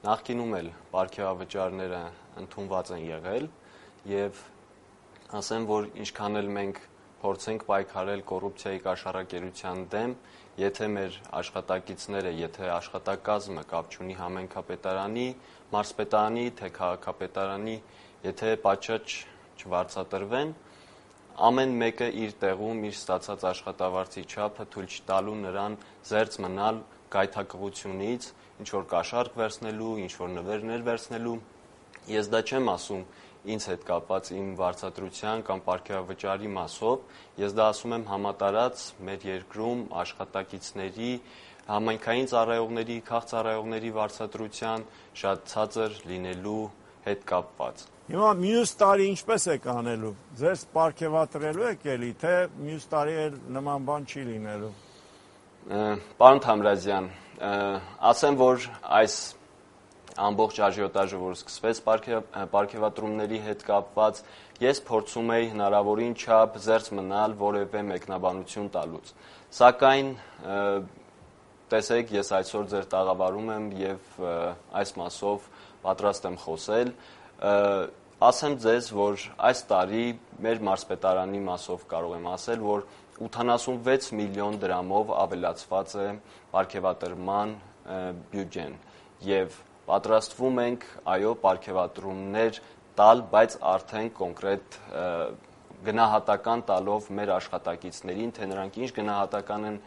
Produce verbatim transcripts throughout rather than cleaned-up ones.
նախկինում էլ պարգևավճարները ընդունված են եղել եւ ասեմ, որ ինչքան էլ մենք փորձենք պայքարել կոռուպցիայի կաշառակերության դեմ, եթե մեր աշխատակիցները, եթե աշխատակազմը կապ չունի համայնքապետարանի, մարզպետարանի, թե քաղաքապետարանի, եթե պատշաճ չվարձատրվեն, ամեն մեկը իր տեղում իր ստացած աշխատավարձի չափը թույլ չտալու նրան զերծ մնալ գայթակղությունից, ինչ որ կաշառք վերցնելու, ինչ որ նվերներ վերցնելու։ Ես դա չեմ ասում ինձ հետ կապված իմ վարձատրության կամ պարգևավճարի մասով, ես դա ասում եմ համատարած մեր երկրում աշխատակիցների, համայնքային ծառայողների, քաղծառայողների վարձատրության շատ ցածր լինելու հետ կապված։ Հիմա մյուս տարի ինչպես եք անելու, ձեզ պարգևատրելու եք էլի, թե մյուս տարի էլ նման բան չի լինելու։ Պարոն Թամրազյան, ասեմ, որ այս ամբողջ աժիոտաժը, որ սկսվեց պարգևատրումների հետ կապված, ես փորձում էի հնարավորին չափ զերծ մնալ որևէ մեկնաբանություն տալուց։ Սակայն տեսեք, ես այսօր ձեր տաղավարում եմ եւ այս մասով պատրաստ եմ խոսել։ Ասեմ ձեզ, որ այս տարի մեր մարզպետարանի մասով կարող եմ ասել, որ ութանասունվեց միլիոն դրամով ավելացված է պարգևատրման բյուջեն եւ պատրաստվում ենք, այո, պարգևատրումներ տալ, բայց արդեն կոնկրետ գնահատական տալով մեր աշխատակիցներին, թե նրանք ինչ գնահատական են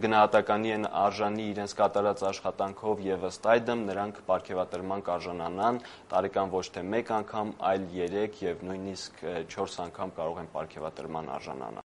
գնահատականի են արժանի իրենց կատարած աշխատանքով եւ ըստ այդմ նրանք պարգևատրման կարժանանան տարեկան ոչ թե մեկ անգամ, այլ երեք եւ նույնիսկ չորս անգամ կարող են պարգևատրման արժանանալ։